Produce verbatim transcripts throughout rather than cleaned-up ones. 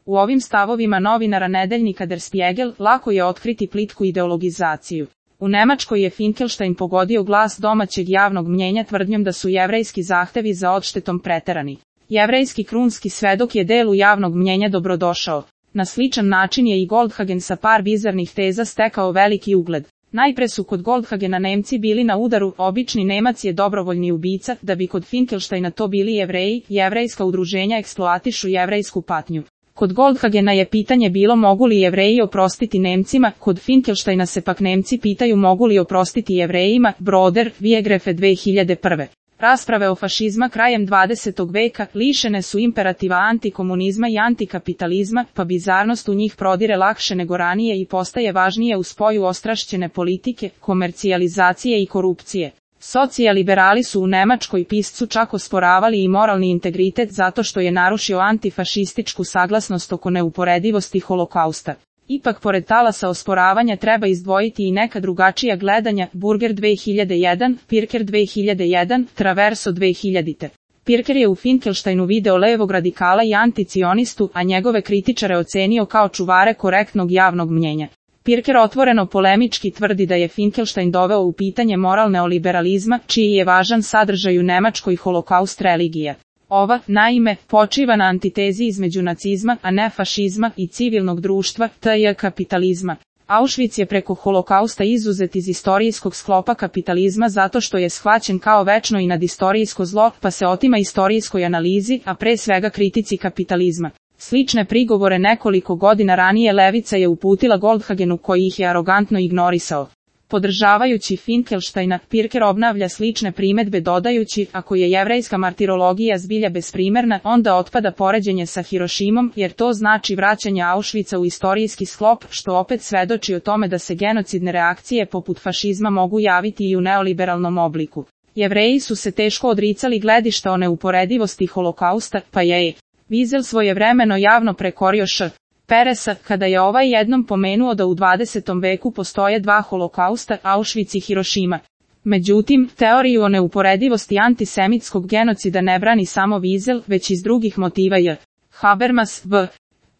U ovim stavovima novinara nedeljnika Der Spiegel lako je otkriti plitku ideologizaciju. U Nemačkoj je Finkelstein pogodio glas domaćeg javnog mnjenja tvrdnjom da su jevrejski zahtevi za odštetom preterani. Jevrejski krunski svedok je delu javnog mnjenja dobrodošao. Na sličan način je i Goldhagen sa par bizarnih teza stekao veliki ugled. Najpre su kod Goldhagena Nemci bili na udaru, obični Nemac je dobrovoljni ubica, da bi kod Finkelsteina to bili Jevreji, jevrejska udruženja eksploatišu jevrejsku patnju. Kod Goldhagena je pitanje bilo mogu li Jevreji oprostiti Nemcima, kod Finkelsteina se pak Nemci pitaju mogu li oprostiti Jevrejima, Broder, Viegrefe dve hiljade prve. Rasprave o fašizma krajem dvadesetog veka lišene su imperativa antikomunizma i antikapitalizma, pa bizarnost u njih prodire lakše nego ranije i postaje važnije u spoju ostrašćene politike, komercijalizacije i korupcije. Socijaliberali su u Nemačkoj piscu čak osporavali i moralni integritet zato što je narušio antifašističku saglasnost oko neuporedivosti holokausta. Ipak pored talasa osporavanja treba izdvojiti i neka drugačija gledanja, Burger dve hiljade jedan, Pirker dve hiljade jedan, Traverso dve hiljade. Pirker je u Finkelsteinu video levog radikala i anticionistu, a njegove kritičare ocenio kao čuvare korektnog javnog mnjenja. Pirker otvoreno polemički tvrdi da je Finkelstein doveo u pitanje moral neoliberalizma, čiji je važan sadržaj u Nemačkoj holokaust religija. Ova, naime, počiva na antitezi između nacizma, a ne fašizma, i civilnog društva, tj. kapitalizma. Auschwitz je preko holokausta izuzet iz istorijskog sklopa kapitalizma zato što je shvaćen kao večno i nadistorijsko zlo, pa se otima istorijskoj analizi, a pre svega kritici kapitalizma. Slične prigovore nekoliko godina ranije levica je uputila Goldhagenu koji ih je arogantno ignorisao. Podržavajući Finkelsteina, Pirker obnavlja slične primedbe dodajući, ako je jevrejska martirologija zbilja besprimerna, onda otpada poređenje sa Hirošimom, jer to znači vraćanje Auschwitza u istorijski sklop, što opet svedoči o tome da se genocidne reakcije poput fašizma mogu javiti i u neoliberalnom obliku. Jevreji su se teško odricali gledišta o neuporedivosti holokausta, pa je Wiesel svojevremeno javno prekorio Š. Peresa, kada je ovaj jednom pomenuo da u dvadesetom veku postoje dva holokausta, Auschwitz i Hirošima. Međutim, teoriju o neuporedivosti antisemitskog genocida ne brani samo Wiesel, već iz drugih motiva J. Habermas, V.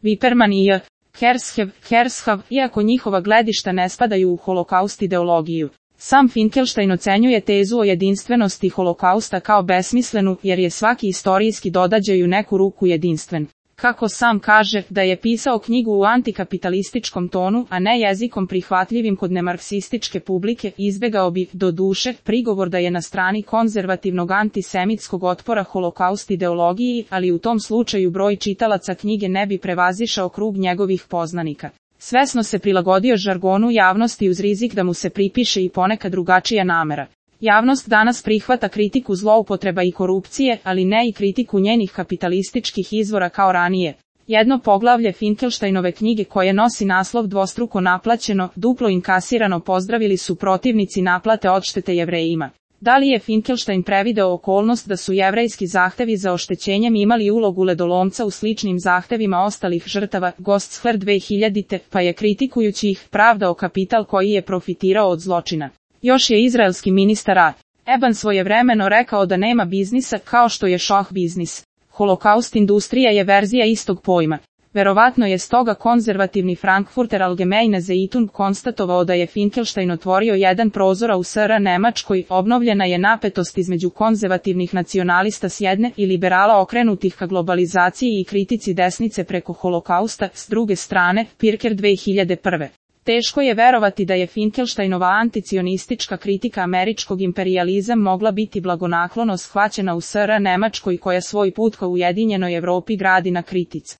Wipperman i J. Hershev, Hershav, iako njihova gledišta ne spadaju u holokaust ideologiju. Sam Finkelstein ocenjuje tezu o jedinstvenosti holokausta kao besmislenu, jer je svaki istorijski događaj u neku ruku jedinstven. Kako sam kaže, da je pisao knjigu u antikapitalističkom tonu, a ne jezikom prihvatljivim kod nemarksističke publike, izbegao bi, do duše, prigovor da je na strani konzervativnog antisemitskog otpora holokaust ideologiji, ali u tom slučaju broj čitalaca knjige ne bi prevazišao krug njegovih poznanika. Svesno se prilagodio žargonu javnosti uz rizik da mu se pripiše i ponekad drugačija namera. Javnost danas prihvata kritiku zloupotreba i korupcije, ali ne i kritiku njenih kapitalističkih izvora kao ranije. Jedno poglavlje Finkelsteinove knjige koje nosi naslov dvostruko naplaćeno, duplo inkasirano pozdravili su protivnici naplate odštete Jevrejima. Da li je Finkelstein prevideo okolnost da su jevrejski zahtevi za oštećenjem imali ulogu ledolomca u sličnim zahtevima ostalih žrtava, Gostsher dve hiljade, pa je kritikujući ih pravdao kapital koji je profitirao od zločina. Još je izraelski ministar A. Eban svojevremeno rekao da nema biznisa kao što je šah biznis. Holokaust industrija je verzija istog pojma. Verovatno je stoga konzervativni Frankfurter Allgemeine Zeitung konstatovao da je Finkelstein otvorio jedan prozor u S R Nemačkoj, obnovljena je napetost između konzervativnih nacionalista s jedne i liberala okrenutih ka globalizaciji i kritici desnice preko holokausta, s druge strane, Pirker dve hiljade prve. Teško je verovati da je Finkelsteinova anticionistička kritika američkog imperijalizma mogla biti blagonaklono shvaćena u S R Nemačkoj koja svoj put ka ujedinjenoj Evropi gradi na kritici.